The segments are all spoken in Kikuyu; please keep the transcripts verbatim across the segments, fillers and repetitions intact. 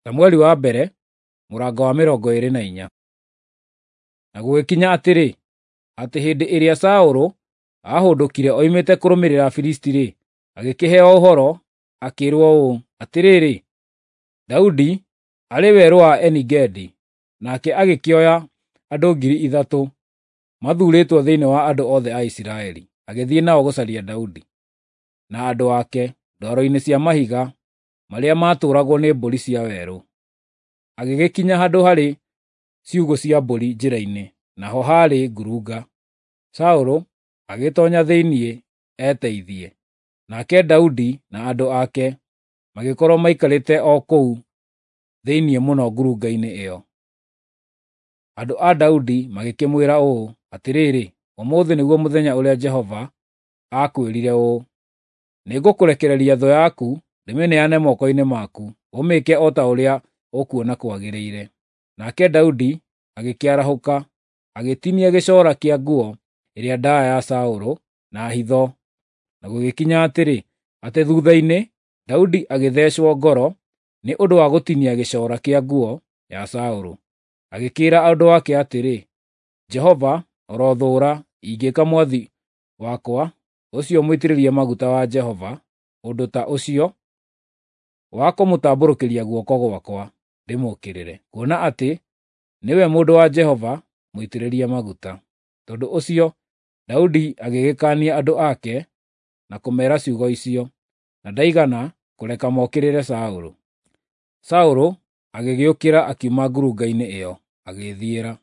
Samueli wa mbere mũrango wa mĩrongo ĩĩrĩ na inya. Na gũgĩkinya atĩrĩ, atĩ hĩndĩ ĩrĩa Saũlũ aahũndũkire oimĩte kũrũmĩrĩra Afilisti-rĩ, agĩkĩheo ũhoro, akĩĩrwo ũũ, “Atĩrĩrĩ, Daudi arĩ werũ wa Eni-Gedi.” Nake agĩkĩoya andũ ngiri ithatũ mathuurĩtwo thĩinĩ wa andũ othe a Isiraeli, agĩthiĩ nao gũcaria Daudi na andũ ake ndwaro-inĩ cia mahiga marĩa maatũũragwo nĩ mbũri cia werũ. Agĩgĩkinya handũ harĩ ciugũ cia mbũri njĩra-inĩ, naho haarĩ ngurunga. Saũlũ agĩtoonya thĩinĩ eteithie, nake Daudi na andũ ake magĩkorwo maikarĩte o kũu thĩinĩ mũno ngurunga-inĩ ĩyo. Andũ a Daudi magĩkĩmwĩra ũũ, “Atĩrĩrĩ, ũmũthĩ nĩguo mũthenya ũrĩa Jehova aakwĩrire ũũ, ‘Nĩngũkũrekereria thũ yaku ndĩmĩneane moko-inĩ maku, ũmĩĩke o ta ũrĩa ũkuona kwagĩrĩire.’ ” Nake Daudi agĩkĩarahũka, agĩtinia gĩcoora kĩa nguo ĩrĩa ndaaya ya Saũlũ na hitho. Na gũgĩkinya atĩrĩ, atĩ thuutha-inĩ Daudi agĩthecwo ngoro nĩ ũndũ wa gũtinia gĩcoora kĩa nguo ya Saũlũ. Agĩkĩĩra andũ ake atĩrĩ, “Jehova arothũũra ingĩĩka mwathi wakwa, ũcio mũitĩrĩrie maguta wa Jehova, ũndũ ta ũcio wa kũmũtambũrũkĩria guoko gwakwa ndĩmũũkĩrĩre, kuona atĩ nĩwe mũndũ wa Jehova mũitĩrĩrie maguta.” Tondũ ũcio Daudi agĩgĩkaania andũ ake na kũmeera ciugo icio, na ndaigana kũreka mokĩrĩre Saũlũ. Saũlũ agĩgĩũkĩra akiuma ngurunga-inĩ ĩyo, agĩĩthiĩra.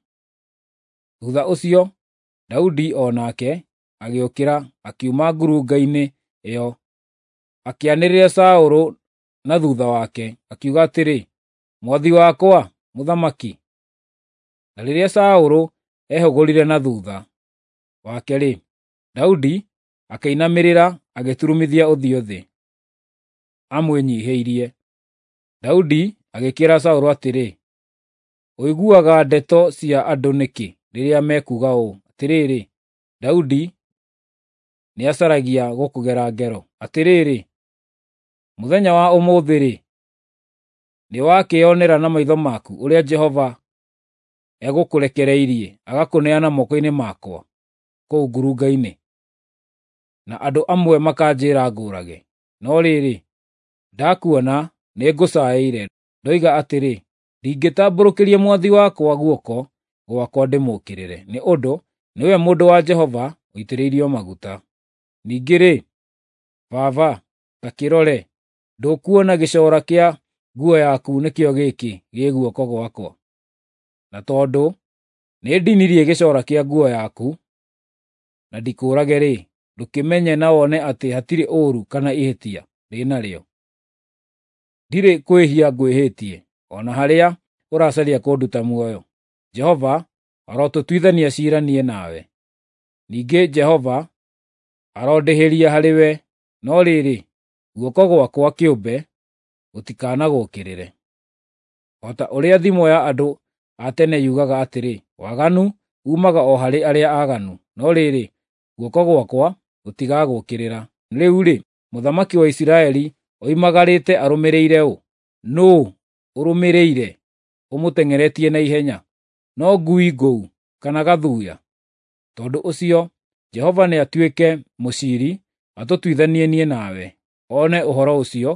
Thuutha ũcio Daudi o nake agĩũkĩra akiuma ngurunga-inĩ ĩyo, akĩanĩrĩra Saũlũ na thuutha wake, akiuga atĩrĩ, “Mwathi wakwa, mũthamaki!” Na rĩrĩa Saũlũ ehũgũrire na thuutha wake-rĩ, Daudi akĩinamĩrĩra agĩturumithia ũthiũ thĩ, amwĩnyiihĩirie. Daudi agĩkĩĩra Saũlũ atĩrĩ, “Ũiguaga ndeto cia andũ nĩkĩ rĩrĩa mekuuga ũũ, ‘Atĩrĩrĩ, Daudi nĩacaragia gũkũgera ngero’? Atĩrĩrĩ, mũthenya wa ũmũthĩ-rĩ, nĩwakĩĩonera na maitho maku ũrĩa Jehova egũkũrekereirie agakũneana moko-inĩ makwa kũu ngurunga-inĩ, na andũ amwe makanjĩĩra ngũũrage. No rĩrĩ, ndakuona nĩngũcaĩire, ndoiga atĩrĩ, ‘Ndingĩtambũrũkĩria mwathi wakwa guoko gwakwa ndĩmũũkĩrĩre, nĩ ũndũ nĩwe mũndũ wa Jehova ũitĩrĩirio maguta.’ Ningĩ-rĩ, baba, ta kĩrore, ndũkuona gĩcoora kĩa nguo yaku nĩkĩo gĩkĩ gĩ guoko gwakwa? Na tondũ nĩndinirie gĩcoora kĩa nguo yaku na ndikũũrage-rĩ, ndũkĩmenye na wone atĩ hatirĩ ũũru kana ihĩtia ndĩ narĩo. Ndirĩ kwĩhia ngwĩhĩtie, o na harĩa ũracaria kũnduta muoyo. Jehova arotũtuithania ciira niĩ nawe. Ningĩ Jehova arondĩhĩria harĩwe, no rĩrĩ, guoko gwakwa kĩũmbe gũtikanagũũkĩrĩre. O ta ũrĩa thimo ya andũ a tene yugaga atĩrĩ, ‘Waganu uumaga o harĩ arĩa aaganu,’ no rĩrĩ, guoko gwakwa gũtigagũũkĩrĩra. Rĩu-rĩ, mũthamaki wa Isiraeli oimagarĩte arũmĩrĩire ũ? Nũũ ũrũmĩrĩire ũmũteng'eretie na ihenya? No ngui ngũu kana gathuya? Tondũ ũcio Jehova nĩatuĩke mũciiri atũtuithanie niĩ nawe, one ũhoro ũcio,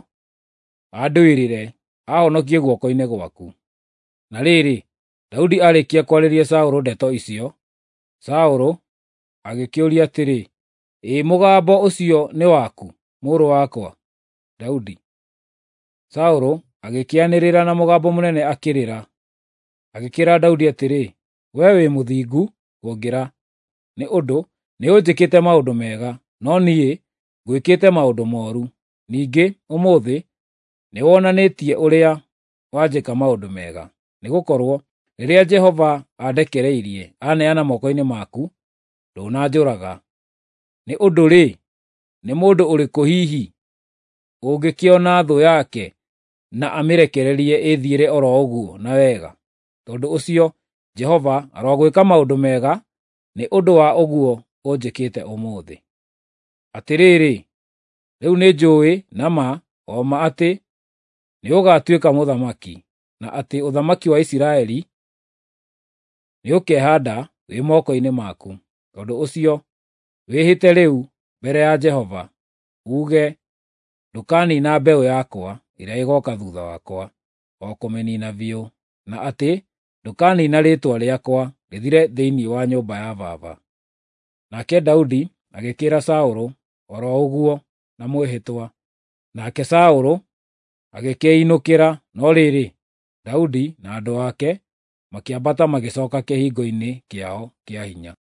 andũĩrĩre, aahonokie guoko-inĩ gwaku.” Na rĩrĩ, Daudi aarĩkia kwarĩria Saũlũ ndeto icio, Saũlũ agĩkĩũria atĩrĩ, “Ĩ mũgambo ũcio nĩ waku, mũrũ wakwa, Daudi?” Saũlũ agĩkĩanĩrĩra na mũgambo mũnene akĩrĩra, agĩkĩĩra Daudi atĩrĩ, “Wee wĩ mũthingu kũngĩra, nĩ ũndũ nĩũnjĩkĩte maũndũ mega, no niĩ ngwĩkĩte maũndũ mooru. Ningĩ ũmũthĩ nĩwonanĩtie ũrĩa wanjĩka maũndũ mega, nĩgũkorwo rĩrĩa Jehova andekereirie aneana moko-inĩ maku, ndũnanjũraga. Nĩ ũndũ-rĩ, nĩ mũndũ ũrĩkũ hihi ũngĩkĩona thũ yake na amĩrekererie ĩthiĩre o ro ũguo na wega? Tondũ ũcio Jehova arogwĩka maũndũ mega nĩ ũndũ wa ũguo ũnjĩkĩte ũmũthĩ. Atĩrĩrĩ, rĩu nĩnjũũĩ na ma o ma atĩ nĩũgatuĩka mũthamaki, na atĩ ũthamaki wa Isiraeli nĩũkehaanda wĩ moko-inĩ maku. Tondũ ũcio, wĩhĩte rĩu mbere ya Jehova, uuge ndũkaniina mbeũ yakwa ĩrĩa ĩgooka thuutha wakwa, o kũmĩniina biũ, na atĩ ndũkaniina rĩĩtwa rĩakwa rĩthire thĩinĩ wa nyũmba ya baba." Nake Daudi agĩkĩĩra Saũlũ o ro ũguo na mwĩhĩtwa. Nake Saũlũ agĩkĩĩinũkĩra, no rĩrĩ, Daudi na andũ ake makĩambata magĩcooka kĩhingo-inĩ kĩao kĩa hinya.